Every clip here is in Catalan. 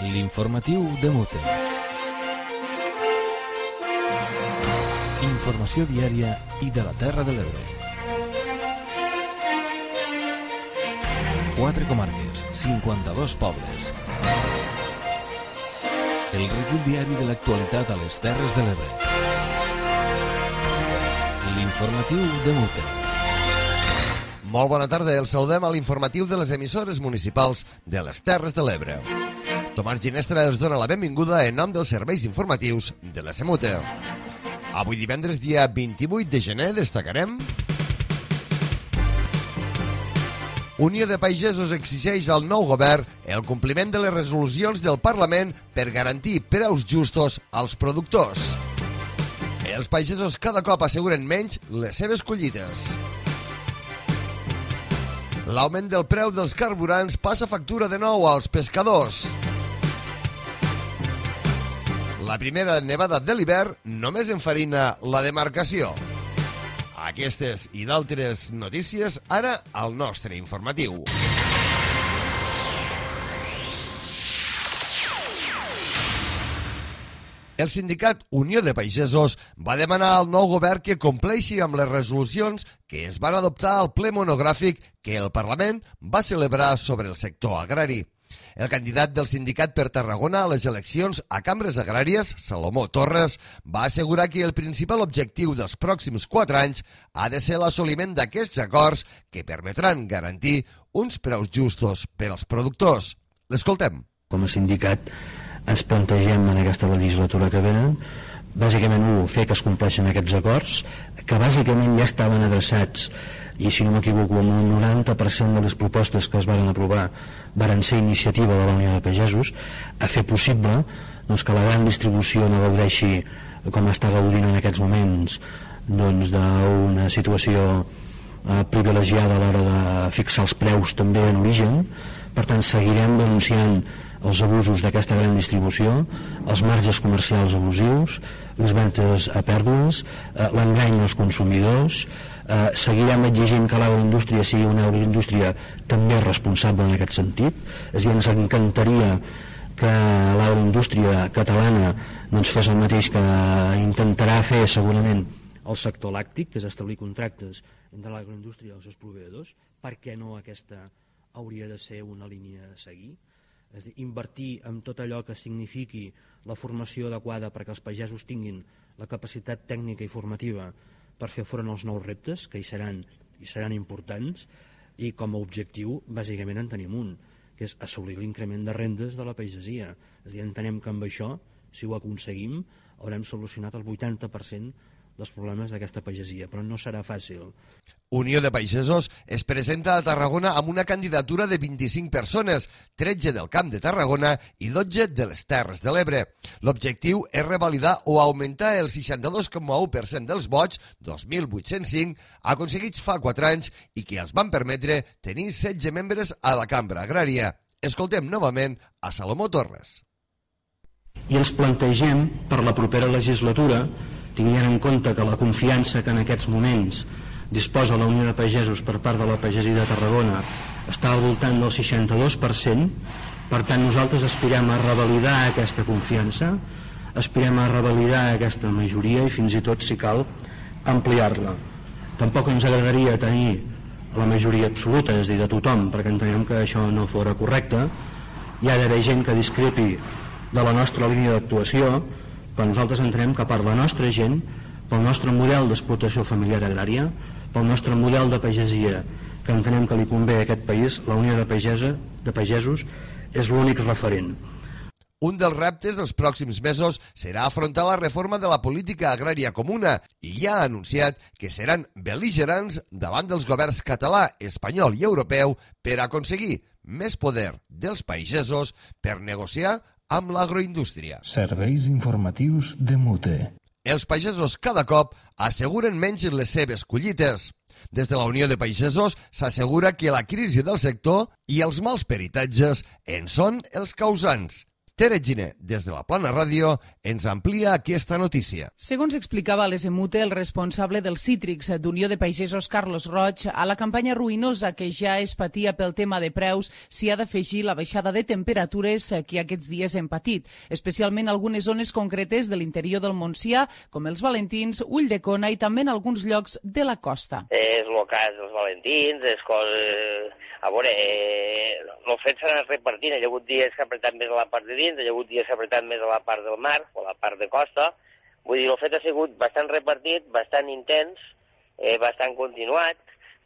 L'informatiu de Mute. Informació diària i de la Terra de l'Ebre. 4 comarques, 52 pobles. El recull diari de l'actualitat a les Terres de l'Ebre. L'informatiu de Mute. Molt bona tarda, el saludem a l'informatiu de les emissores municipals de les Terres de l'Ebre. Tomàs Ginestra els dona la benvinguda en nom dels serveis informatius de la SEMUTE. Avui divendres, dia 28 de gener, destacarem: Unió de Pagesos exigeix al nou govern el compliment de les resolucions del Parlament per garantir preus justos als productors. Els pagesos cada cop asseguren menys les seves collites. L'augment del preu dels carburants passa factura de nou als pescadors. La primera nevada de l'hivern només enfarina la demarcació. Aquestes i d'altres notícies ara al nostre informatiu. El sindicat Unió de Pagesos va demanar al nou govern que compleixi amb les resolucions que es van adoptar al ple monogràfic que el Parlament va celebrar sobre el sector agrari. El candidat del sindicat per Tarragona a les eleccions a cambres agràries, Salomó Torres, va assegurar que el principal objectiu dels pròxims 4 anys ha de ser l'assoliment d'aquests acords que permetran garantir uns preus justos per als productors. L'escoltem. Com a sindicat ens plantegem en aquesta legislatura que venen, bàsicament, fer que es compleixin aquests acords, que bàsicament ja estaven adreçats, i si no m'equivoco, amb un 90% de les propostes que es van aprovar van ser iniciativa de la Unió de Pagesos, a fer possible que la gran distribució no gaudeixi com està gaudint en aquests moments d'una situació privilegiada a l'hora de fixar els preus també en origen. Per tant, seguirem denunciant els abusos d'aquesta gran distribució, els marges comercials abusius, les ventes a pèrdues, l'engany als consumidors. Seguirem exigint que l'agroindústria sigui una agroindústria també responsable en aquest sentit. És a dir, ens encantaria que l'agroindústria catalana fes el mateix que intentarà fer segurament el sector làctic, que és establir contractes entre l'agroindústria i els seus proveïdors. Per què no aquesta hauria de ser una línia a seguir? És a dir, invertir en tot allò que signifiqui la formació adequada perquè els pagesos tinguin la capacitat tècnica i formativa per fer front als nous reptes, que hi seran importants, i com a objectiu bàsicament en tenim un, que és assolir l'increment de rendes de la pagesia. És a dir, entenem que amb això, si ho aconseguim, haurem solucionat el 80% dels problemes d'aquesta pagesia, però no serà fàcil. Unió de Pagesos es presenta a Tarragona amb una candidatura de 25 persones, 13 del Camp de Tarragona i 12 de les Terres de l'Ebre. L'objectiu és revalidar o augmentar el 62,1% dels vots, 2.805, aconseguits fa 4 anys i que els van permetre tenir 16 membres a la Cambra Agrària. Escoltem novament a Salomó Torres. I ens plantegem per la propera legislatura, tinguent en compte que la confiança que en aquests moments disposa la Unió de Pagesos per part de la pagesia de Tarragona està al voltant del 62%, per tant nosaltres aspirem a revalidar aquesta confiança, aspirem a revalidar aquesta majoria i fins i tot, si cal, ampliar-la. Tampoc ens agradaria tenir la majoria absoluta, és a dir, de tothom, perquè entenem que això no fora correcte. Hi ha d'haver gent que discrepi de la nostra línia d'actuació, però nosaltres entenem que per la nostra gent, pel nostre model d'explotació familiar agrària, pel nostre model de pagesia que entenem que li convé a aquest país, la Unió de Pagesos és l'únic referent. Un dels reptes dels pròxims mesos serà afrontar la reforma de la política agrària comuna i ja ha anunciat que seran bel·ligerants davant dels governs català, espanyol i europeu per aconseguir més poder dels pagesos per negociar amb l'agroindústria. Serveis informatius de Mute. Els pagesos cada cop asseguren menys les seves collites. Des de la Unió de Pagesos s'assegura que la crisi del sector i els mals peritatges en són els causants. Tere Giner, des de la Plana Ràdio, ens amplia aquesta notícia. Segons explicava a l'Esemute el responsable dels cítrics d'Unió de Pagesos, Carlos Roig, a la campanya ruïnosa que ja es patia pel tema de preus s'hi ha d'afegir la baixada de temperatures que aquests dies hem patit, especialment algunes zones concretes de l'interior del Montsià, com els Valentins, Ulldecona i també en alguns llocs de la costa. És el cas dels Valentins, és coses... A veure, el fet s'ha anat repartint. Hi ha hagut dies que ha apretat més a la part de dins, hi ha hagut dies que ha apretat més a la part del mar o a la part de costa. Vull dir, el fet ha sigut bastant repartit, bastant intens, bastant continuat.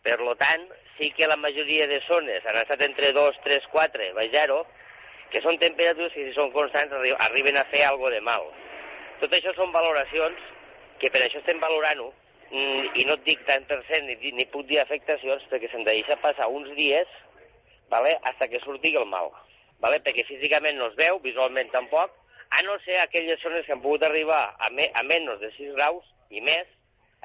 Per tant, sí que la majoria de zones han estat entre 2, 3, 4, baix 0, que són temperatures que si són constants arriben a fer alguna de mal. Tot això són valoracions que per això estem valorant-ho, i no et dic tant per cent ni puc dir afectacions perquè se'm deixa passar uns dies hasta que surti el mal, perquè físicament no es veu, visualment tampoc, a no ser aquelles zones que han pogut arribar a menys de 6 graus i més.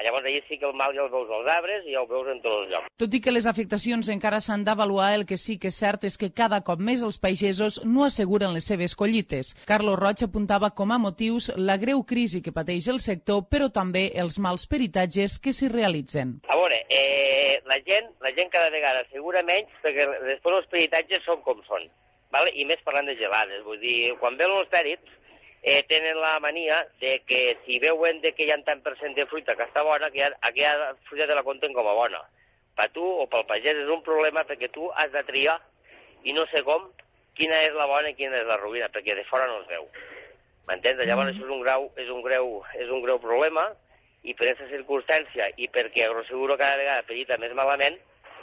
Llavors allà sí que el mal ja el veus als arbres i ja el veus en tots els llocs. Tot i que les afectacions encara s'han d'avaluar, el que sí que és cert és que cada cop més els pagesos no asseguren les seves collites. Carlos Roig apuntava com a motius la greu crisi que pateix el sector, però també els mals peritatges que s'hi realitzen. A veure, la gent cada vegada assegura menys perquè després els peritatges són com són, i més parlant de gelades. Vull dir, quan ve els pèrits, tenen la mania de que si veuen que hi ha tant per cent de fruita que està bona, que aquella fruita te la compten com a bona. Per tu o pel pagès és un problema perquè tu has de triar i no sé com, quina és la bona i quina és la ruïna, perquè de fora no es veu. M'entens? Llavors això és un greu problema i per aquesta circumstància i perquè Agroseguro cada vegada perita més malament,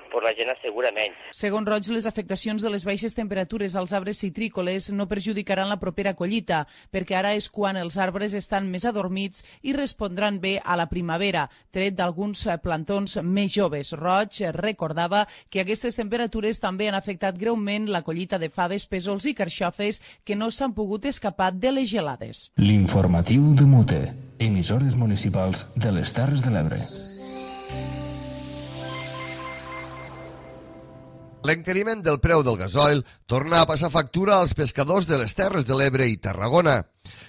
la gent assegura menys. Segons Roig, les afectacions de les baixes temperatures als arbres citrícoles no perjudicaran la propera collita, perquè ara és quan els arbres estan més adormits i respondran bé a la primavera, tret d'alguns plantons més joves. Roig recordava que aquestes temperatures també han afectat greument la collita de faves, pèsols i carxofes que no s'han pogut escapar de les gelades. L'informatiu de Mute, emissores municipals de les Terres de l'Ebre. L'encariment del preu del gasoil torna a passar factura als pescadors de les Terres de l'Ebre i Tarragona.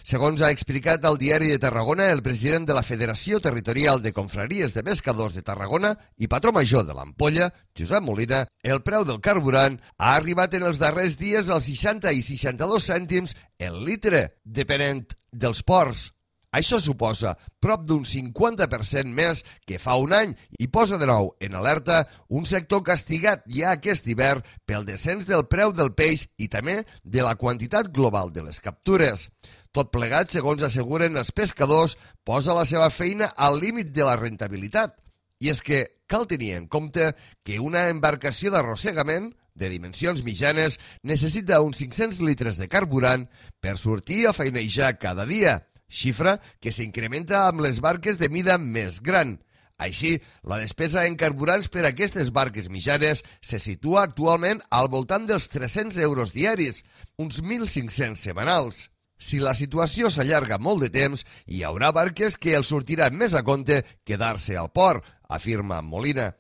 Segons ha explicat al Diari de Tarragona el president de la Federació Territorial de Confraries de Pescadors de Tarragona i patró major de l'Ampolla, Josep Molina, el preu del carburant ha arribat en els darrers dies als 60 i 62 cèntims el litre, depenent dels ports. Això suposa prop d'un 50% més que fa un any i posa de nou en alerta un sector castigat ja aquest hivern pel descens del preu del peix i també de la quantitat global de les captures. Tot plegat, segons asseguren els pescadors, posa la seva feina al límit de la rentabilitat. I és que cal tenir en compte que una embarcació d'arrossegament de dimensions mitjanes necessita uns 500 litres de carburant per sortir a feinejar cada dia, xifra que s'incrementa amb les barques de mida més gran. Així, la despesa en carburants per a aquestes barques mitjanes se situa actualment al voltant dels 300 euros diaris, uns 1.500 setmanals. Si la situació s'allarga molt de temps, hi haurà barques que els sortirà més a compte quedar-se al port, afirma Molina.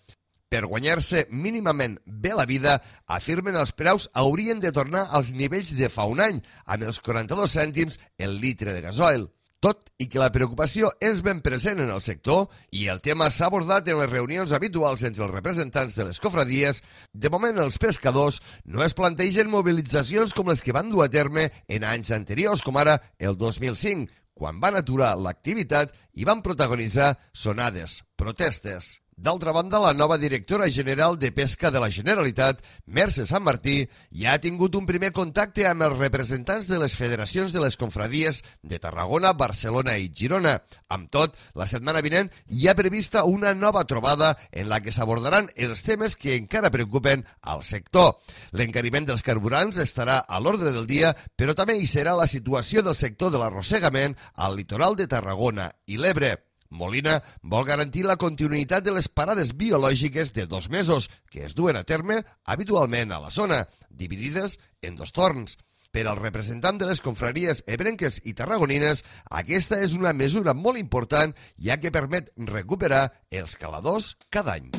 Per guanyar-se mínimament bé la vida, afirmen els preus haurien de tornar als nivells de fa un any, amb els 42 cèntims el litre de gasoil. Tot i que la preocupació és ben present en el sector i el tema s'ha abordat en les reunions habituals entre els representants de les cofradies, de moment els pescadors no es plantegen mobilitzacions com les que van dur a terme en anys anteriors, com ara el 2005, quan van aturar l'activitat i van protagonitzar sonades, protestes. D'altra banda, la nova directora general de Pesca de la Generalitat, Mercè Sant Martí, ja ha tingut un primer contacte amb els representants de les federacions de les confradies de Tarragona, Barcelona i Girona. Amb tot, la setmana vinent hi ha prevista una nova trobada en la que s'abordaran els temes que encara preocupen al sector. L'encariment dels carburants estarà a l'ordre del dia, però també hi serà la situació del sector de l'arrossegament al litoral de Tarragona i l'Ebre. Molina vol garantir la continuïtat de les parades biològiques de 2 mesos que es duen a terme habitualment a la zona, dividides en 2 torns. Per al representant de les confraries ebrenques i tarragonines, aquesta és una mesura molt important, ja que permet recuperar els caladors cada any.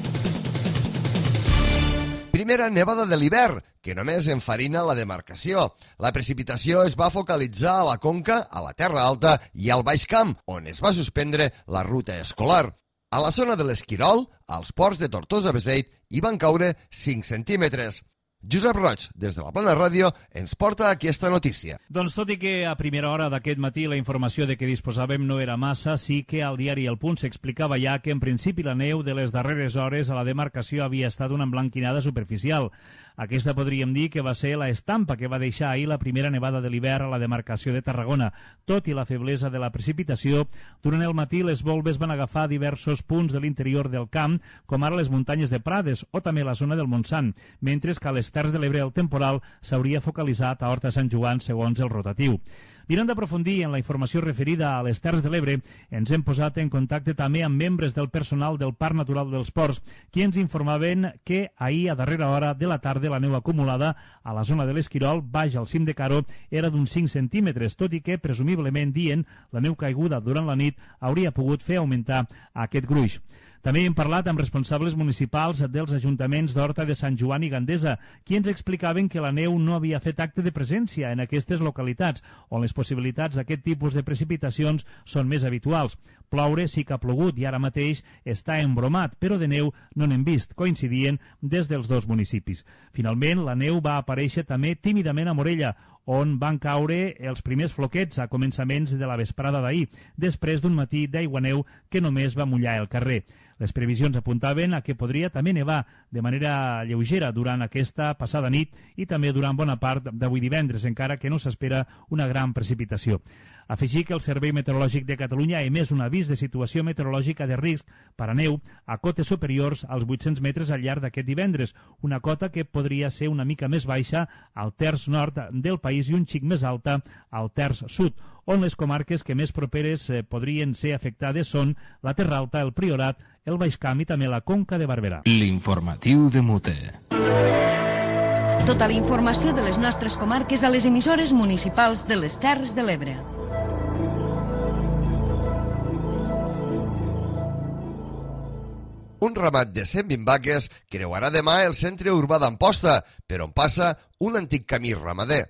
Primera nevada de l'hivern, que només enfarina la demarcació. La precipitació es va focalitzar a la Conca, a la Terra Alta i al Baix Camp, on es va suspendre la ruta escolar. A la zona de l'Esquirol, als ports de Tortosa-Beseit, hi van caure 5 centímetres. Josep Roig, des de la Plana Ràdio, ens porta aquesta notícia. Doncs tot i que a primera hora d'aquest matí la informació de què disposàvem no era massa, sí que al diari El Punt s'explicava ja que en principi la neu de les darreres hores a la demarcació havia estat una emblanquinada superficial. Aquesta podríem dir que va ser la estampa que va deixar ahir la primera nevada de l'hivern a la demarcació de Tarragona. Tot i la feblesa de la precipitació, durant el matí les volves van agafar diversos punts de l'interior del camp, com ara les muntanyes de Prades o també la zona del Montsant, mentre que a les Terres de l'Ebre el temporal s'hauria focalitzat a Horta Sant Joan segons el rotatiu. Mirant d'aprofundir en la informació referida a les Terres de l'Ebre, ens hem posat en contacte també amb membres del personal del Parc Natural dels Ports, qui ens informaven que ahir a darrera hora de la tarda la neu acumulada a la zona de l'Esquirol, baix al cim de Caro, era d'uns 5 centímetres, tot i que, presumiblement dient, la neu caiguda durant la nit hauria pogut fer augmentar aquest gruix. També hem parlat amb responsables municipals dels ajuntaments d'Horta de Sant Joan i Gandesa, qui ens explicaven que la neu no havia fet acte de presència en aquestes localitats, on les possibilitats d'aquest tipus de precipitacions són més habituals. Ploure sí que ha plogut i ara mateix està embromat, però de neu no n'hem vist, coincidien des dels dos municipis. Finalment, la neu va aparèixer també tímidament a Morella, on van caure els primers floquets a començaments de la vesprada d'ahir, després d'un matí d'aiguaneu que només va mullar el carrer. Les previsions apuntaven a que podria també nevar de manera lleugera durant aquesta passada nit i també durant bona part d'avui divendres, encara que no s'espera una gran precipitació. Afegir que el Servei Meteorològic de Catalunya ha emès un avís de situació meteorològica de risc per a neu a cotes superiors als 800 metres al llarg d'aquest divendres, una cota que podria ser una mica més baixa al terç nord del país i un xic més alta al terç sud, on les comarques que més properes podrien ser afectades són la Terra Alta, el Priorat, el Baix Camp i també la Conca de Barberà. L'informatiu de Mute. Tota la informació de les nostres comarques a les emissores municipals de les Terres de l'Ebre. Un ramat de 120 vaques creuarà demà el centre urbà d'Amposta, per on passa un antic camí ramader.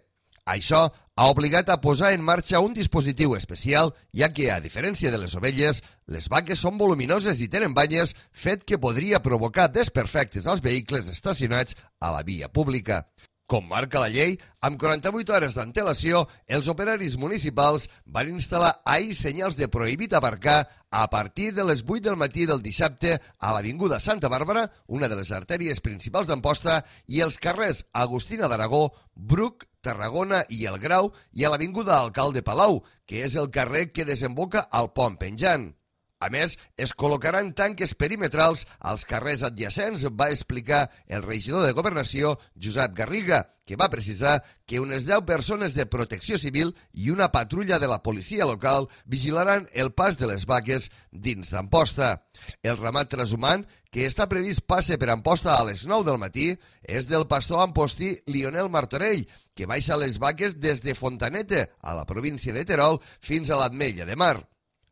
Això ha obligat a posar en marxa un dispositiu especial, ja que, a diferència de les ovelles, les vaques són voluminoses i tenen banyes, fet que podria provocar desperfectes als vehicles estacionats a la via pública. Com marca la llei, amb 48 hores d'antelació, els operaris municipals van instal·lar ahir senyals de prohibit aparcar a partir de les 8 del matí del dissabte a l'Avinguda Santa Bàrbara, una de les artèries principals d'Amposta, i els carrers Agustina d'Aragó, Bruc, Tarragona i el Grau, i a l'Avinguda Alcalde Palau, que és el carrer que desemboca al pont penjant. A més, es col·locaran tanques perimetrals als carrers adjacents, va explicar el regidor de Governació, Josep Garriga, que va precisar que unes 10 persones de protecció civil i una patrulla de la policia local vigilaran el pas de les vaques dins d'Amposta. El ramat transhumant, que està previst passe per Amposta a les 9 del matí, és del pastor ampostí Lionel Martorell, que baixa les vaques des de Fontanete, a la província de Terol, fins a l'Ametlla de Mar.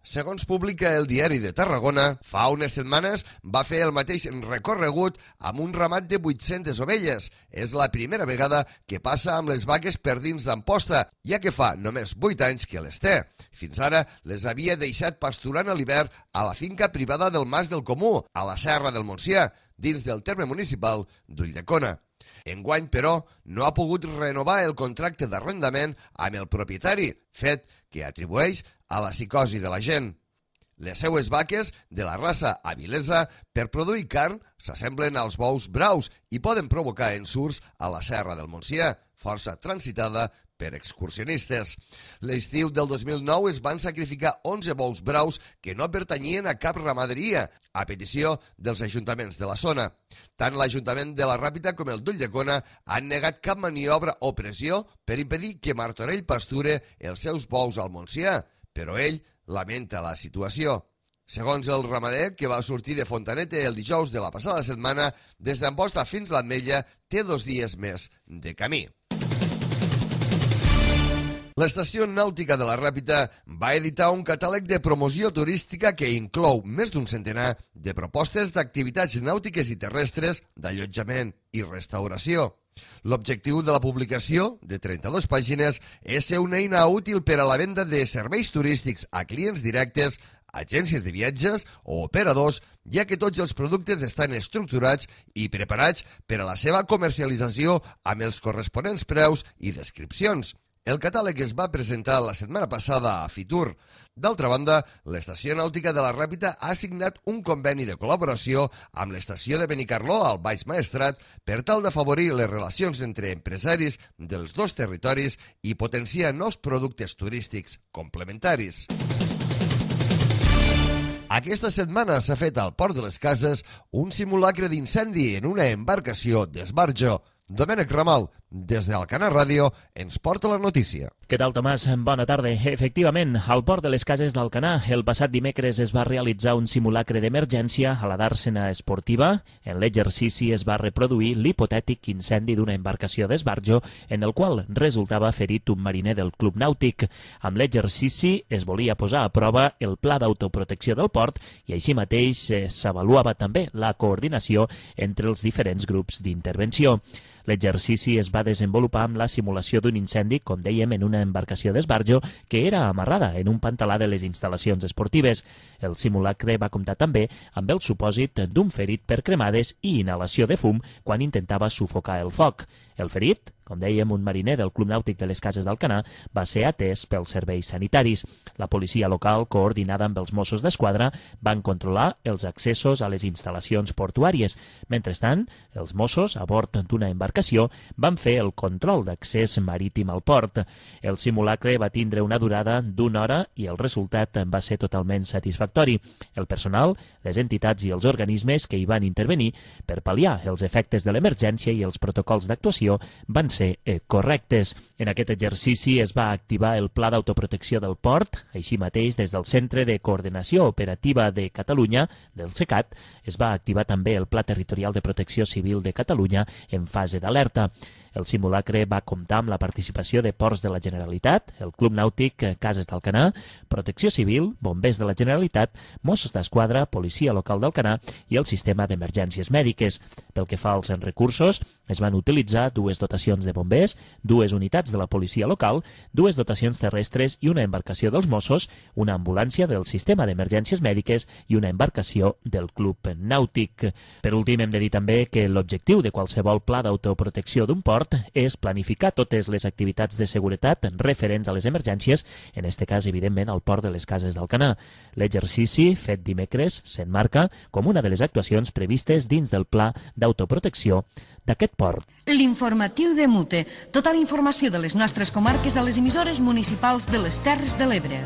Segons publica el Diari de Tarragona, fa unes setmanes va fer el mateix recorregut amb un ramat de 800 ovelles. És la primera vegada que passa amb les vaques per dins d'Amposta, ja que fa només 8 anys que les té. Fins ara les havia deixat pasturant a l'hivern a la finca privada del Mas del Comú, a la Serra del Montsià, dins del terme municipal d'Ulldecona. Enguany, però, no ha pogut renovar el contracte d'arrendament amb el propietari, fet que atribueix a la psicosi de la gent. Les seues vaques, de la raça avilesa, per produir carn, s'assemblen als bous braus i poden provocar ensurts a la Serra del Montsià, força transitada per excursionistes. L'estiu del 2009 es van sacrificar 11 bous braus que no pertanyien a cap ramaderia, a petició dels ajuntaments de la zona. Tant l'Ajuntament de la Ràpita com el d'Ulldecona han negat cap maniobra o pressió per impedir que Martorell pasture els seus bous al Montsià, però ell lamenta la situació. Segons el ramader, que va sortir de Fontanete el dijous de la passada setmana, des d'Amposta fins a l'Ametlla té 2 dies més de camí. L'Estació Nàutica de la Ràpita va editar un catàleg de promoció turística que inclou més d'un centenar de propostes d'activitats nàutiques i terrestres, d'allotjament i restauració. L'objectiu de la publicació, de 32 pàgines, és ser una eina útil per a la venda de serveis turístics a clients directes, agències de viatges o operadors, ja que tots els productes estan estructurats i preparats per a la seva comercialització amb els corresponents preus i descripcions. El catàleg es va presentar la setmana passada a Fitur. D'altra banda, l'Estació Nàutica de la Ràpita ha signat un conveni de col·laboració amb l'estació de Benicarló al Baix Maestrat per tal d'afavorir les relacions entre empresaris dels dos territoris i potenciar nous productes turístics complementaris. Aquesta setmana s'ha fet al Port de les Cases un simulacre d'incendi en una embarcació d'esbarjo. Domènec Ramal, des d'Alcanar Ràdio, ens porta la notícia. Què tal, Tomàs? Bona tarda. Efectivament, al Port de les Cases d'Alcanar, el passat dimecres es va realitzar un simulacre d'emergència a la dàrsena esportiva. En l'exercici es va reproduir l'hipotètic incendi d'una embarcació d'esbarjo en el qual resultava ferit un mariner del Club Nàutic. Amb l'exercici es volia posar a prova el pla d'autoprotecció del port i així mateix s'avaluava també la coordinació entre els diferents grups d'intervenció. L'exercici es va desenvolupar amb la simulació d'un incendi, com dèiem, en una embarcació d'esbarjo que era amarrada en un pantalà de les instal·lacions esportives. El simulacre va comptar també amb el supòsit d'un ferit per cremades i inhalació de fum quan intentava sufocar el foc. El ferit, com dèiem, un mariner del Club Nàutic de les Cases d'Alcanar, va ser atès pels serveis sanitaris. La policia local, coordinada amb els Mossos d'Esquadra, van controlar els accessos a les instal·lacions portuàries. Mentrestant, els Mossos, a bord d'una embarcació, van fer el control d'accés marítim al port. El simulacre va tindre una durada d'una hora i el resultat va ser totalment satisfactori. El personal, les entitats i els organismes que hi van intervenir per pal·liar els efectes de l'emergència i els protocols d'actuació van ser correctes. En aquest exercici es va activar el Pla d'Autoprotecció del Port. Així mateix, des del Centre de Coordinació Operativa de Catalunya, del CECAT, es va activar també el Pla Territorial de Protecció Civil de Catalunya en fase d'alerta. El simulacre va comptar amb la participació de Ports de la Generalitat, el Club Nàutic Cases d'Alcanar, Protecció Civil, Bombers de la Generalitat, Mossos d'Esquadra, Policia Local d'Alcanar i el Sistema d'Emergències Mèdiques. Pel que fa als recursos, es van utilitzar 2 dotacions de bombers, 2 unitats de la policia local, 2 dotacions terrestres i una embarcació dels Mossos, una ambulància del Sistema d'Emergències Mèdiques i una embarcació del Club Nàutic. Per últim, hem de dir també que l'objectiu de qualsevol pla d'autoprotecció d'un port és planificar totes les activitats de seguretat referents a les emergències, en aquest cas, evidentment, al Port de les Cases d'Alcanar. L'exercici, fet dimecres, s'emmarca com una de les actuacions previstes dins del pla d'autoprotecció d'aquest port. L'informatiu de Mute. Tota la informació de les nostres comarques a les emissores municipals de les Terres de l'Ebre.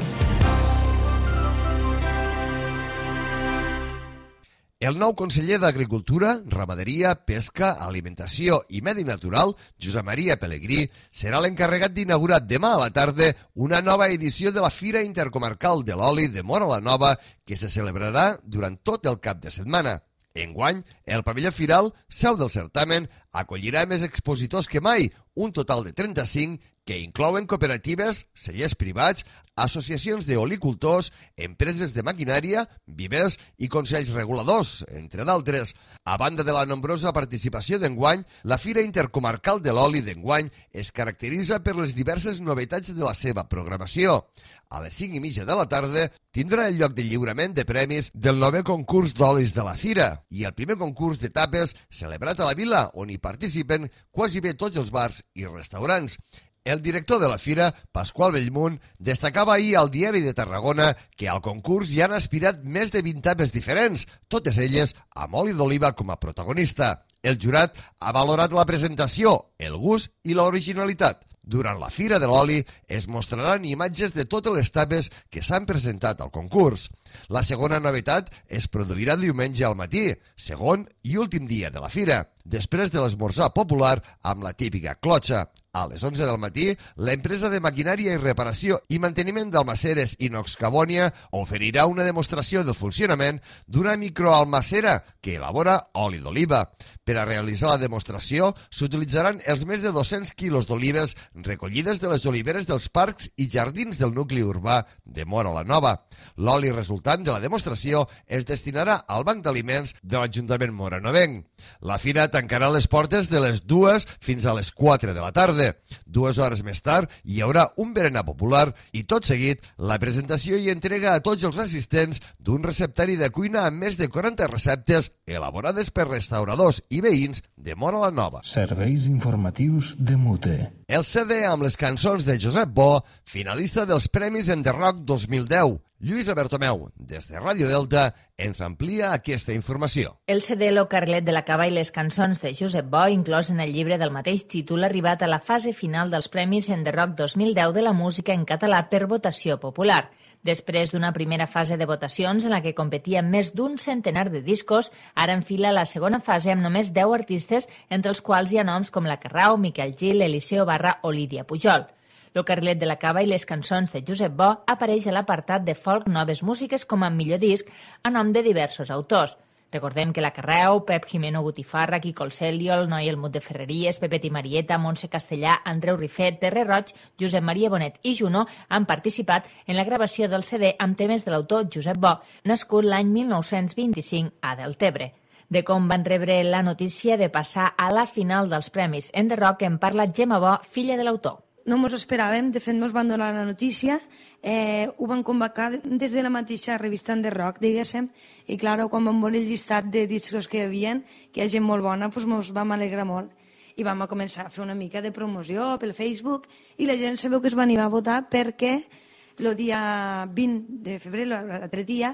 El nou conseller d'Agricultura, Ramaderia, Pesca, Alimentació i Medi Natural, Josep Maria Pelegrí, serà l'encarregat d'inaugurar demà a la tarda una nova edició de la Fira Intercomarcal de l'Oli de Móra la Nova, que se celebrarà durant tot el cap de setmana. Enguany, el pavelló firal, seu del certamen, acollirà més expositors que mai, un total de 35, que inclouen cooperatives, cellers privats, associacions d'olicultors, empreses de maquinària, vivers i consells reguladors, entre d'altres. A banda de la nombrosa participació d'enguany, la Fira Intercomarcal de l'Oli d'enguany es caracteritza per les diverses novetats de la seva programació. A les 5:30 de la tarda tindrà el lloc de lliurament de premis del 9è concurs d'olis de la Fira i el primer concurs de tapes celebrat a la vila, on hi participen quasi bé tots els bars i restaurants. El director de la Fira, Pasqual Bellmunt, destacava ahir al Diari de Tarragona que al concurs hi han aspirat més de 20 tapes diferents, totes elles amb oli d'oliva com a protagonista. El jurat ha valorat la presentació, el gust i l'originalitat. Durant la Fira de l'Oli es mostraran imatges de totes les tapes que s'han presentat al concurs. La segona novetat es produirà diumenge al matí, segon i últim dia de la Fira. després de l'esmorzar popular amb la típica clotxa. A les 11 del matí, l'empresa de maquinària i reparació i manteniment d'almaceres Inox Cabònia oferirà una demostració del funcionament d'una microalmacera que elabora oli d'oliva. Per a realitzar la demostració s'utilitzaran els més de 200 quilos d'olives recollides de les oliveres dels parcs i jardins del nucli urbà de Móra la Nova. L'oli resultant de la demostració es destinarà al banc d'aliments de l'Ajuntament moranovenc. La fira tancarà les portes de les 2 fins a les 4 de la tarda. 2 hores més tard hi haurà un berenar popular i tot seguit la presentació i entrega a tots els assistents d'un receptari de cuina amb més de 40 receptes elaborades per restauradors i veïns de Móra la Nova. Serveis informatius de Mute. El CD amb les cançons de Josep Bo, finalista dels Premis Enderrock 2010. Lluïsa Bertomeu, des de Ràdio Delta, ens amplia aquesta informació. El CD Lo Carlet de la Cava i les cançons de Josep Bo, inclòs en el llibre del mateix títol, ha arribat a la fase final dels Premis Enderrock 2010 de la música en català per votació popular. Després d'una primera fase de votacions en la que competien més d'un centenar de discos, ara enfila la segona fase amb només 10 artistes, entre els quals hi ha noms com La Carrau, Miquel Gil, Eliseo Barra o Lídia Pujol. Lo Carlet de la Cava i les cançons de Josep Bo apareix a l'apartat de folk Noves Músiques com a millor disc a nom de diversos autors. Recordem que La Carreu, Pep Jimeno Botifarra, Quico el Celio, el Noi Elmut de Ferreries, Pepet i Marieta, Montse Castellà, Andreu Rifet, Terre Roig, Josep Maria Bonet i Juno han participat en la gravació del CD amb temes de l'autor Josep Bo, nascut l'any 1925 a Deltebre. De com van rebre la notícia de passar a la final dels Premis Enderrock en parla Gemma Bo, filla de l'autor. No ens esperàvem, de fet ens van donar la notícia, ho van convocar des de la mateixa revista Enderrock, diguéssim, i clar, quan vam veure el llistat de discos que hi havia, que hi ha gent molt bona, doncs ens vam alegrar molt. I vam començar a fer una mica de promoció pel Facebook i la gent sabeu que es van anar a votar perquè el dia 20 de febrer, l'altre dia,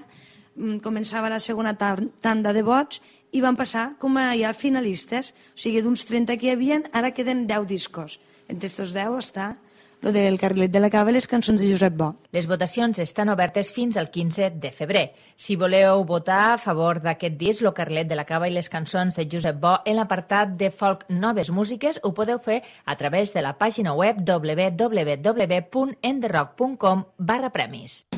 començava la segona tanda de vots i van passar com a ja finalistes, o sigui, d'uns 30 que hi havia, ara queden 10 discos. Entre aquests 10 està el del Carlet de la Cava i les cançons de Josep Bo. Les votacions estan obertes fins al 15 de febrer. Si voleu votar a favor d'aquest disc, Lo Carlet de la Cava i les cançons de Josep Bo, en l'apartat de folk Noves Músiques, ho podeu fer a través de la pàgina web www.enderrock.com/premis.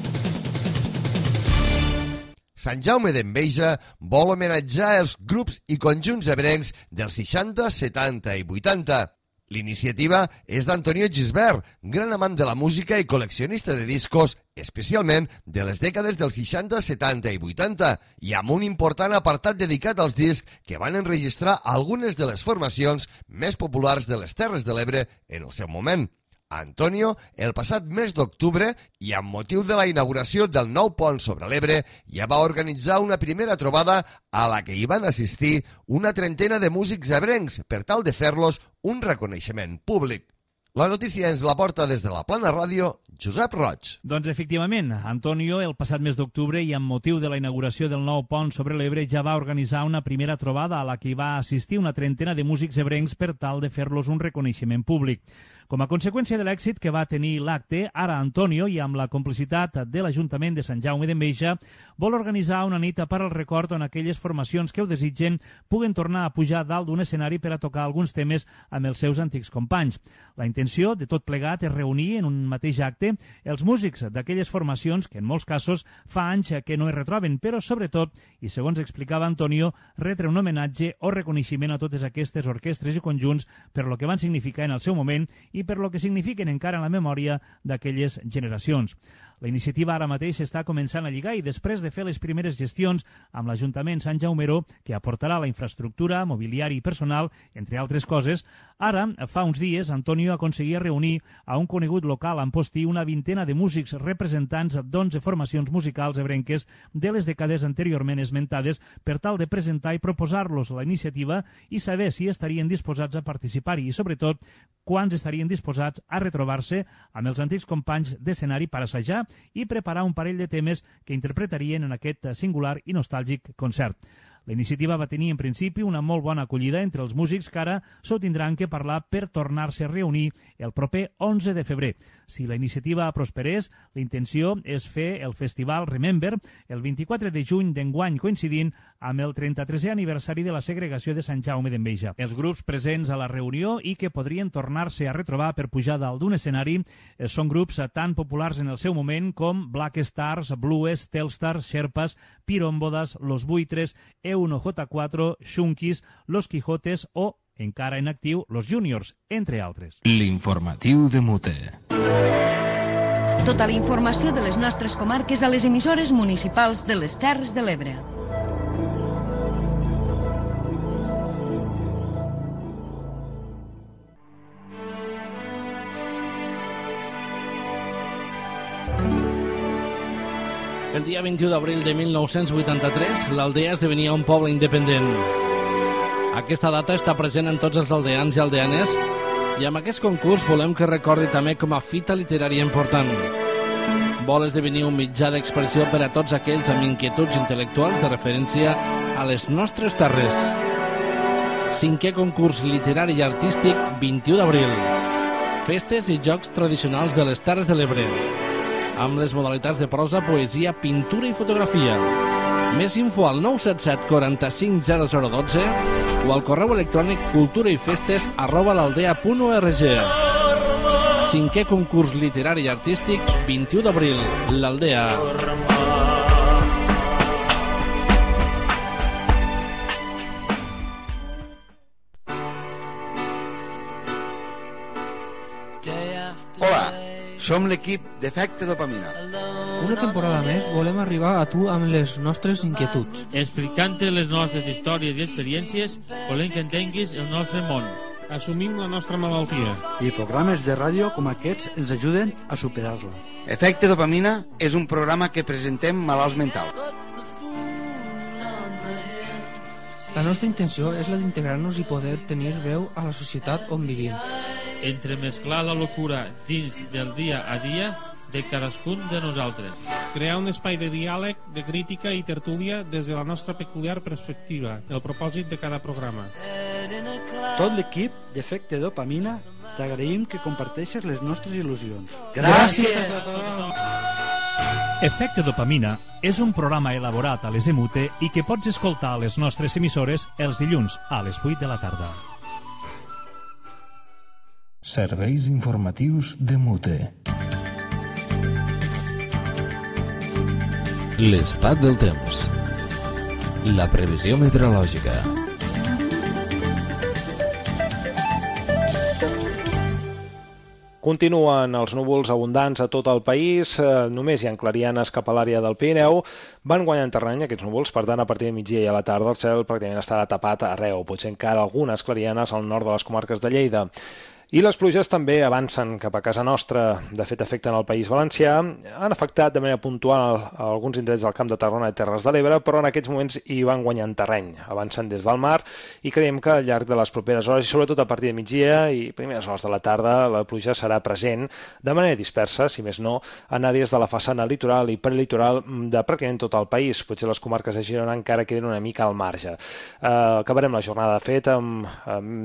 Sant Jaume d'Enveja vol homenatjar els grups i conjunts ebrencs dels 60, 70 i 80. L'iniciativa és d'Antonio Gisbert, gran amant de la música i col·leccionista de discos, especialment de les dècades dels 60, 70 i 80, i amb un important apartat dedicat als discs que van enregistrar algunes de les formacions més populars de les Terres de l'Ebre en el seu moment. Antonio, el passat mes d'octubre, i amb motiu de la inauguració del nou pont sobre l'Ebre, ja va organitzar una primera trobada a la que hi van assistir una trentena de músics ebrencs per tal de fer-los un reconeixement públic. La notícia ens la porta des de la Plana Ràdio, Josep Roig. Doncs efectivament, Antonio, el passat mes d'octubre i amb motiu de la inauguració del nou pont sobre l'Ebre ja va organitzar una primera trobada a la que hi va assistir una trentena de músics ebrencs per tal de fer-los un reconeixement públic. Com a conseqüència de l'èxit que va tenir l'acte, ara Antonio, i amb la complicitat de l'Ajuntament de Sant Jaume d'Enveja, vol organitzar una nit per al record on aquelles formacions que ho desitgen puguen tornar a pujar dalt d'un escenari per a tocar alguns temes amb els seus antics companys. La intenció de tot plegat és reunir en un mateix acte els músics d'aquelles formacions que en molts casos fa anys que no es retroben, però sobretot, i segons explicava Antonio, retre un homenatge o reconeixement a totes aquestes orquestres i conjunts per lo que van significar en el seu moment i per lo que signifiquen encara en la memòria d'aquelles generacions. La iniciativa ara mateix està començant a lligar i després de fer les primeres gestions amb l'Ajuntament Sant Jaumero, que aportarà la infraestructura, mobiliari i personal, entre altres coses, ara, fa uns dies, Antonio aconseguia reunir a un conegut local a Amposti una vintena de músics representants d'11 formacions musicals ebrenques de les dècades anteriorment esmentades per tal de presentar i proposar-los la iniciativa i saber si estarien disposats a participar-hi i, sobretot, quants estarien disposats a retrobar-se amb els antics companys d'escenari per assajar i preparar un parell de temes que interpretarien en aquest singular i nostàlgic concert. La iniciativa va tenir en principi una molt bona acollida entre els músics que ara s'ho tindran que parlar per tornar-se a reunir el proper 11 de febrer. Si la iniciativa prosperés, la intenció és fer el festival Remember el 24 de juny d'enguany, coincidint amb el 33è aniversari de la segregació de Sant Jaume d'Enveja. Els grups presents a la reunió i que podrien tornar-se a retrobar per pujar dalt d'un escenari són grups tan populars en el seu moment com Black Stars, Blues, Telstar, Sherpas, Pirombodas, Los Buitres, E1J4, Xunkis, Los Quijotes o, encara en actiu, Los Juniors, entre altres. L'informatiu de Mute. Tota la informació de les nostres comarques a les emissores municipals de les Terres de l'Ebre. El dia 21 d'abril de 1983, l'Aldea esdevenia un poble independent. Aquesta data està present en tots els aldeans i aldeanes i amb aquest concurs volem que recordi també com a fita literària important. Vol esdevenir un mitjà d'expressió per a tots aquells amb inquietuds intel·lectuals de referència a les nostres terres. 5è concurs literari i artístic 21 d'abril. Festes i jocs tradicionals de les Terres de l'Ebre, amb les modalitats de prosa, poesia, pintura i fotografia. Més info al 977 45 0012 o al correu electrònic culturaifestes@l'aldea.org. 5è concurs literari i artístic 21 d'abril, l'Aldea. Hola, som l'equip d'Efecte Dopamina. Una temporada més volem arribar a tu amb les nostres inquietuds. Explicant-te les nostres històries i experiències, volem que entenguis el nostre món. Assumim la nostra malaltia. I programes de ràdio com aquests ens ajuden a superar-la. Efecte Dopamina és un programa que presentem malalts mentals. La nostra intenció és la d'integrar-nos i poder tenir veu a la societat on vivim. Entremesclar la locura dins del dia a dia de cadascun de nosaltres. Crear un espai de diàleg, de crítica i tertúlia des de la nostra peculiar perspectiva, el propòsit de cada programa. Tot l'equip d'Efecte Dopamina t'agraïm que comparteixes les nostres il·lusions. Gràcies a tothom! Efecte Dopamina és un programa elaborat a les EMUTE i que pots escoltar a les nostres emissores els dilluns a les 8 de la tarda. Serveis informatius de Mute. L'estat del temps. La previsió meteorològica. Continuen els núvols abundants a tot el país, només hi ha clarianes cap a l'àrea del Pirineu. Van guanyant terreny aquests núvols, per tant, a partir de migdia i a la tarda el cel pràcticament estarà tapat arreu, potser encara algunes clarianes al nord de les comarques de Lleida. I les pluges també avancen cap a casa nostra, de fet afecten el País Valencià, han afectat de manera puntual alguns indrets del Camp de Tarragona i Terres de l'Ebre, però en aquests moments hi van guanyant terreny, avancen des del mar i creiem que al llarg de les properes hores, i sobretot a partir de migdia i primeres hores de la tarda, la pluja serà present de manera dispersa, si més no, en àrees de la façana litoral i prelitoral de pràcticament tot el país, potser les comarques de Girona encara queden una mica al marge. Acabarem la jornada de fet amb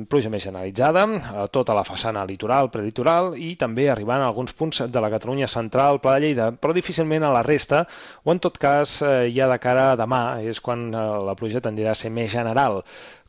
pluja més generalitzada a tota la façana litoral, prelitoral i també arribant a alguns punts de la Catalunya central, Pla de Lleida, però difícilment a la resta, o en tot cas ja de cara a demà, és quan la pluja tendirà a ser més general.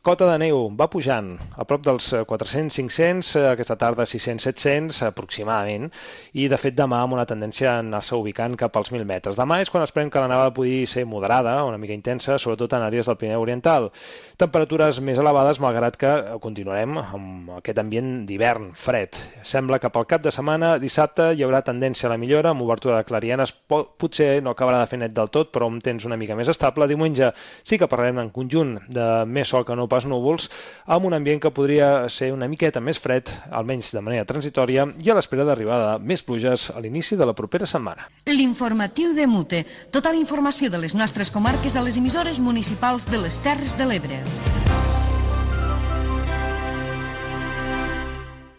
Cota de neu va pujant a prop dels 400-500, aquesta tarda 600-700 aproximadament, i de fet demà amb una tendència a anar-se ubicant cap als 1.000 metres. Demà és quan esperem que la nevada pugui ser moderada, una mica intensa, sobretot en àrees del Pirineu Oriental. Temperatures més elevades, malgrat que continuarem amb aquest ambient d'hivern fred. Sembla que pel cap de setmana, dissabte, hi haurà tendència a la millora, amb obertura de clarianes, potser no acabarà de fer net del tot, però amb temps una mica més estable. Diumenge sí que parlarem en conjunt de més sol que no pas núvols, amb un ambient que podria ser una miqueta més fred, almenys de manera transitòria, i a l'espera d'arribada més pluges a l'inici de la propera setmana. L'informatiu de Mute. Tota la informació de les nostres comarques a les emissores municipals de les Terres de l'Ebre.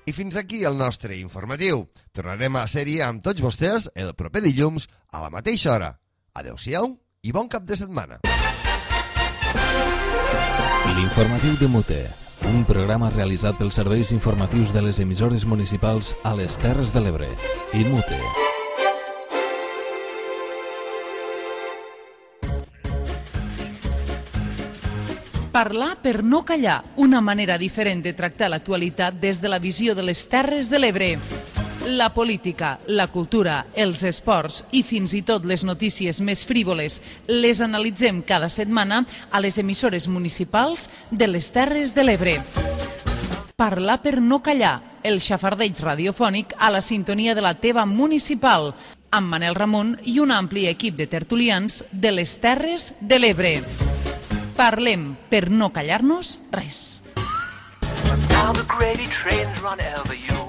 I fins aquí el nostre informatiu. Tornarem a la sèrie amb tots vostès el proper dilluns a la mateixa hora. Adéu-siau i bon cap de setmana. L'informatiu de Mute, un programa realitzat pels serveis informatius de les emissores municipals a les Terres de l'Ebre. I Mute. Parlar per no callar, una manera diferent de tractar l'actualitat des de la visió de les Terres de l'Ebre. La política, la cultura, els esports i fins i tot les notícies més frívoles les analitzem cada setmana a les emissores municipals de les Terres de l'Ebre. Parlar per no callar, el xafardeig radiofònic a la sintonia de la teva municipal, amb Manel Ramon i un ampli equip de tertulians de les Terres de l'Ebre. Parlem per no callar-nos res. Now the gravy trains run over you.